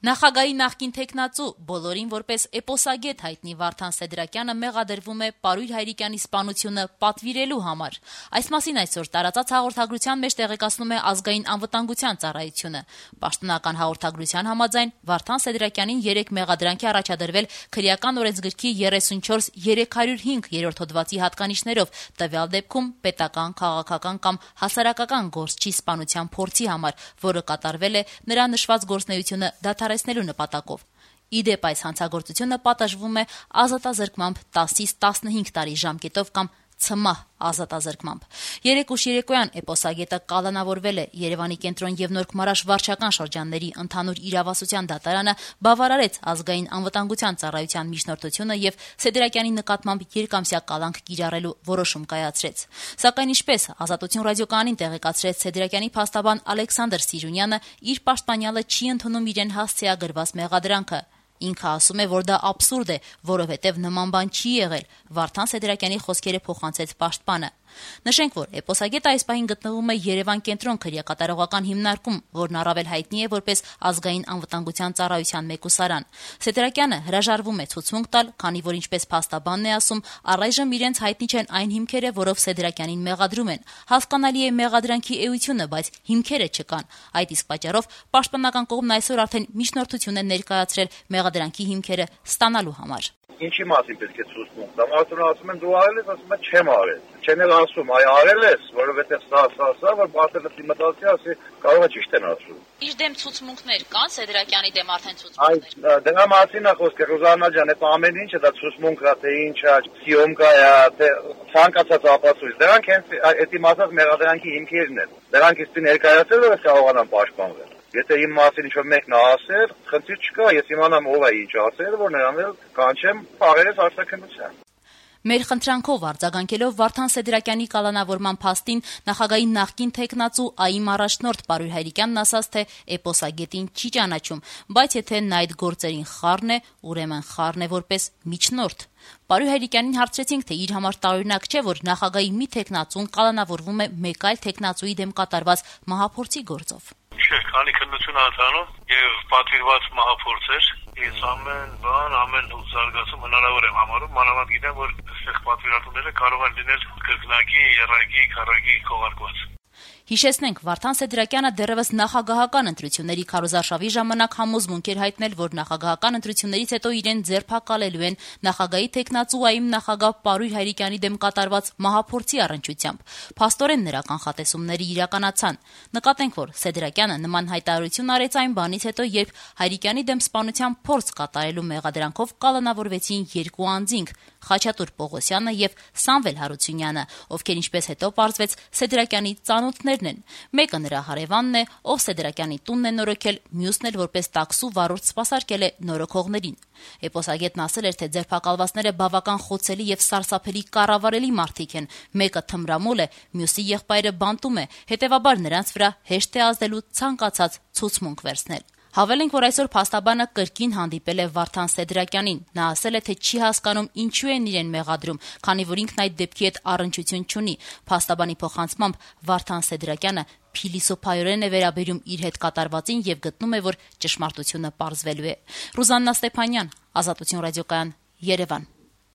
Նախագահի նախկին թեկնածու, բոլորին որպես էպոսագետ հայտնի Վարդան Սեդրակյանը մեղադրվում է Պարույր Հայրիկյանի սպանությունը պատվիրելու համար։ Այս մասին այսօր տարածած հաղորդագրության մեջ տեղեկացնում է Ազգային անվտանգության ծառայությունը։ Պաշտոնական հաղորդագրության համաձայն Վարդան Սեդրակյանին 3 մեղադրանք է առաջադրվել քրեական օրենսգրքի 34-305 երրորդ հոդվածի հատկանիշներով, տվյալ դեպքում պետական, քաղաքական կամ հասարակական գործչի սպանության փորձի համար, որը կատարվել է նրա նշված գործունեությունը դադարեցնելու նպատակով։ Իդեպ այս հանցագործությունը պատժվում է ազատազրկմամբ 10-ից 15 տարի ժամկետով կամ ցմահ ազատազրկմամբ։ 3 ուշ երեկոյան էպոսագետը կալանավորվել է։ Երևանի կենտրոն եւ Նորք Մարաշ վարչական շրջանների ընդհանուր իրավասության դատարանը բավարարեց Ազգային անվտանգության ծառայության միջնորդությունը եւ Սեդրակյանի նկատմամբ երկամսյա կալանք կիրառելու որոշում կայացրեց։ Սակայն ինչպես Ազատություն ռադիոկայանին տեղեկացրեց Սեդրակյանի փաստաբան Ալեքսանդր Սիրունյանը, իր պաշտպանյալը չի ընդունում իրեն հասցեագրված մեղադրանքը։ Ինքը ասում է, որ դա աբսուրդ է, որովհետև նման բան չի եղել։ Վարդան Սեդրակյանի խոսքերը փոխանցեց պաշտպանը։ Նշենք, որ էպոսագետը այս պահին գտնվում է Երևան կենտրոն քրեակատարողական հիմնարկում, որն առավել հայտնի է որպես Ազգային անվտանգության ծառայության մեկուսարան։ Սեդրակյանը հրաժարվում է ցուցմունք տալ, քանի որ ինչպես փաստաբանն է ասում, առայժմ իրենց հայտնի չեն այն հիմքերը, որով Սեդրակյանին մեղադրում են։ Հասկանալի է մեղադրանքի էությունը, բայց հիմքերը չկան։ Այդ իսկ պատճառով պաշտպանական կողմն այսօր արդեն միջնորդություն է ներկայացրել մեղադրանքի հիմքերը ստանալու համար։ Ինչի մասին պետք է ցուցմունք տամ։ Արդյոք ասում են դու արել ես, ասում եմ չեմ արել։ Չեն էլ ասում, այ արել ես, որովհետև սա, որ բացել ես իմիտացիա, ասի կարող է ճիշտ են ասում։ Իր դեմ ցուցմունքներ կան, Սեդրակյանի դեմ արդեն ցուցմունքներ։ Այ դրա մասին է խոսքը, Ռուզաննա ջան, այդ ամեն ինչը դա ցուցմունք է, թե ինչ է, սիոմկա է, թե ցանկացած ապացույց։ Դրանք հենց այդ իմ ասած մեղադրանքի հիմքերն են։ Դրանք իսկ ներկայացել որ կարողանան պաշտպանվել։ Եթե իմ մասին ինչ-որ մեկն է ասել, խնդիր չկա, ես իմանամ ով է ինչ ասել, որ նրան էլ կանչեմ պարերես արտաքննության։ Մեր խնդրանքով արձագանքելով Վարդան Սեդրակյանի կալանավորման փաստին նախագահի նախկին թեկնածու ԱԻՄ առաջնորդ Պարույր Հայրիկյանն ասաց, թե էպոսագետին չի ճանաչում, բայց եթե նա այդ գործերին խառն է, ուրեմն խառն է որպես միջնորդ։ Պարույր Հայրիկյանին հարցրեցինք, թե իր համար տարօրինակ չէ, որ նախագահի մի թեկնածուն կալանավորվում է մեկ այլ թեկնածուի դեմ կատարված մահափորձի գործով։ Չէ, քանի քննություն անցանում եւ պատվիրված մահափորձեր, ես ամեն զարգացում հնարավոր եմ համարում, մանավանդ գիտեմ, որ այստեղ պատվիրատուները կարող են լինել կրկնակի, եռակի, քառակի քողարկված։ Հիշեցնենք, Վարդան Սեդրակյանը դեռևս նախագահական ընտրությունների քարոզարշավի ժամանակ համոզմունք էր հայտնել, որ նախագահական ընտրություններից հետո իրեն ձերբակալելու են նախագահի թեկնածու ԱԻՄ նախագահ Պարույր Հայրիկյանի դեմ կատարված մահափորձի առնչությամբ։ Փաստորեն նրա կանխատեսումները իրականացան։ Նկատենք, որ Սեդրակյանը նման հայտարարություն արեց այն բանից հետո, երբ Հայրիկյանի դեմ սպանության փորձ կատարելու մեղադրանքով կալանավորվեցին 2 անձինք՝ Խաչատուր Պողոսյանը եւ Սամվել Հարությունյանը, ովքեր ինչպես հետո պարզվեց Սեդրակյանի ծանոթներն են։ Մեկը նրա հարևանն է, ով Սեդրակյանի տունն է նորոգել, մյուսն էլ որպես տաքսու վարորդ սպասարկել է նորոգողներին։ Էպոսագետն ասել էր, թե ձերբակալվածները բավական խոցելի եւ սարսափելի կառավարելի մարդիկ են։ Մեկը թմրամոլ է, մյուսի եղբայրը բանտում է, հետեւաբար նրանց վրա հեշտ է ազդելու ցանկացած ցուցմունք վերցնել։ Հավելենք, որ այսօր փաստաբանը կրկին հանդիպել է Վարդան Սեդրակյանին։ Նա ասել է, թե չի հասկանում ինչու են իրեն մեղադրում, քանի որ ինքն այդ դեպքի հետ առնչություն չունի։ Փաստաբանի փոխանցմամբ Վարդան Սեդրակյանը փիլիսոփայորեն է վերաբերում իր հետ կատարվածին եւ գտնում է, որ ճշմարտությունը պարզվելու է։ Ռուզաննա Ստեփանյան, Ազատություն ռադիոկայան, Երևան։